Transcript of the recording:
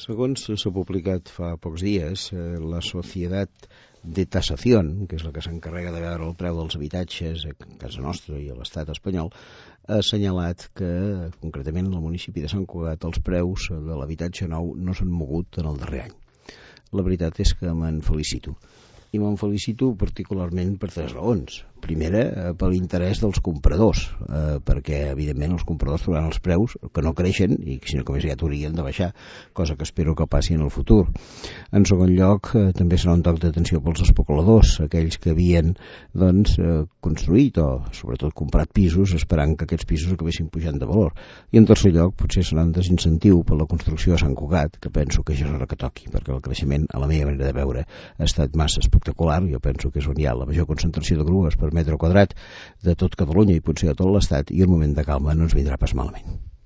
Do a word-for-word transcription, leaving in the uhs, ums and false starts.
Segons s'ha publicat fa pocs dies, eh, la Societat de Tasación, que és la que s'encarrega de veure el preu dels habitatges a casa nostra i a l'estat espanyol, ha assenyalat que, concretament, en el municipi de Sant Cugat, els preus de l'habitatge nou no s'han mogut en el darrer any. La veritat és que me'n felicito. I me'n felicito particularment per tres raons. Primera, eh, per l'interès dels compradors, eh, perquè, evidentment, els compradors trobaran els preus que no creixen i, sinó que més aviat haurien de baixar, cosa que espero que passi en el futur. En segon lloc, eh, també serà un toc d'atenció pels especuladors, aquells que havien doncs, eh, construït o, sobretot, comprat pisos esperant que aquests pisos acabessin pujant de valor. I, en tercer lloc, potser serà un desincentiu per la construcció a Sant Cugat, que penso que ja és hora que toqui, perquè el creixement, a la meva manera de veure, ha estat massa espectacular. Jo penso que és on hi ha la major concentració de grues per metre quadrat de tot Catalunya i potser de tot l'Estat, i un moment de calma no ens vindrà pas malament.